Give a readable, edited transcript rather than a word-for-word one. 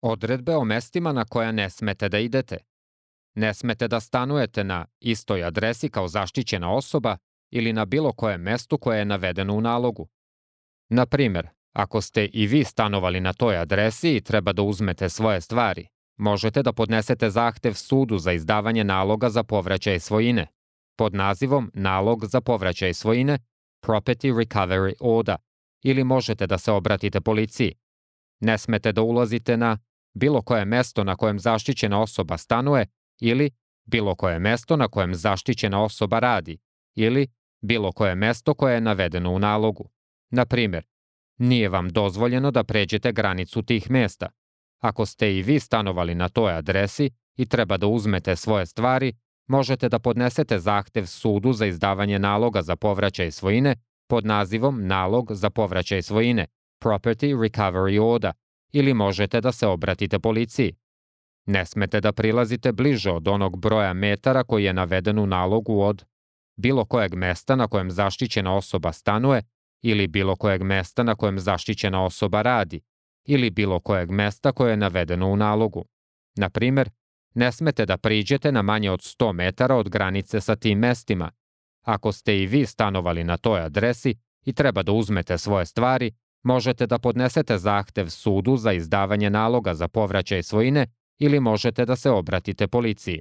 Odredbe o mestima na koja ne smete da idete. Ne smete da stanujete na istoj adresi kao zaštićena osoba ili na bilo kojem mestu koje je navedeno u nalogu. Na primer, ako ste i vi stanovali na toj adresi i treba da uzmete svoje stvari, možete da podnesete zahtev sudu za izdavanje naloga za povraćaj svojine, pod nazivom Nalog za povraćaj svojine, Property Recovery Order, ili možete da se obratite policiji. Ne smete da ulazite na bilo koje mesto na kojem zaštićena osoba stanuje ili bilo koje mesto na kojem zaštićena osoba radi ili bilo koje mesto koje je navedeno u nalogu. Na primer, nije vam dozvoljeno da pređete granicu tih mesta. Ako ste i vi stanovali na toj adresi i treba da uzmete svoje stvari, možete da podnesete zahtev sudu za izdavanje naloga za povraćaj svojine pod nazivom Nalog za povraćaj svojine, Property Recovery Order, ili možete da se obratite policiji. Ne smete da prilazite bliže od onog broja metara koji je naveden u nalogu od bilo kojeg mesta na kojem zaštićena osoba stanuje ili bilo kojeg mesta na kojem zaštićena osoba radi ili bilo kojeg mesta koje je navedeno u nalogu. Na primer, ne smete da priđete na manje od 100 metara od granice sa tim mestima. Ako ste i vi stanovali na toj adresi i treba da uzmete svoje stvari, možete da podnesete zahtev sudu za izdavanje naloga za povraćaj svojine ili možete da se obratite policiji.